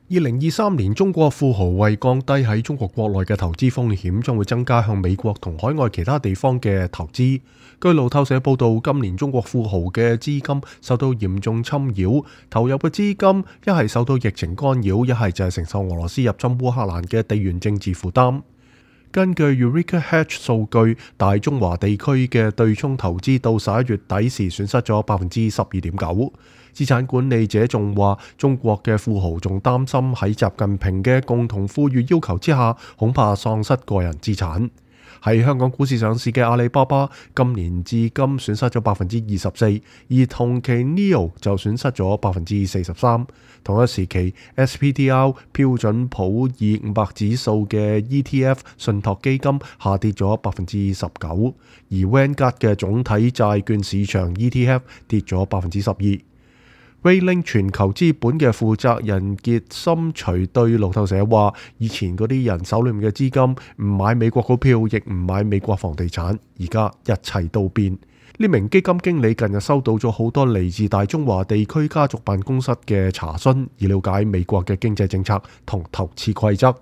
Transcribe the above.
2023年，中國富豪為降低喺中國國內嘅投資風險，將會增加向美國同海外其他地方嘅投資。據路透社報道，今年中國富豪嘅資金受到嚴重侵擾，投入嘅資金一係受到疫情干擾，一係就係承受俄羅斯入侵烏克蘭嘅地緣政治負擔。根據 Eureka Hedge 數據，大中華地區嘅對沖投資到11月底時損失咗 12.9%。資產管理者仲話，中國嘅富豪仲擔心喺習近平嘅共同富裕要求之下，恐怕喪失個人資產。喺香港股市上市嘅阿里巴巴，今年至今損失咗 24%， 而同期 NIO 就損失咗 43%。同一時期 SPDR 標準普爾500指數嘅 ETF 信託基金下跌咗 19%， 而 Vanguard 嘅總體債券市場 ETF 跌咗 12%。Rayling 全球資本嘅負責人傑森徐對路透社話：以前嗰啲人手裏面嘅資金唔買美國股票，亦唔買美國房地產，而家一切都變。呢名基金經理近日收到咗好多嚟自大中華地區家族辦公室嘅查詢，以了解美國嘅經濟政策同投資規則。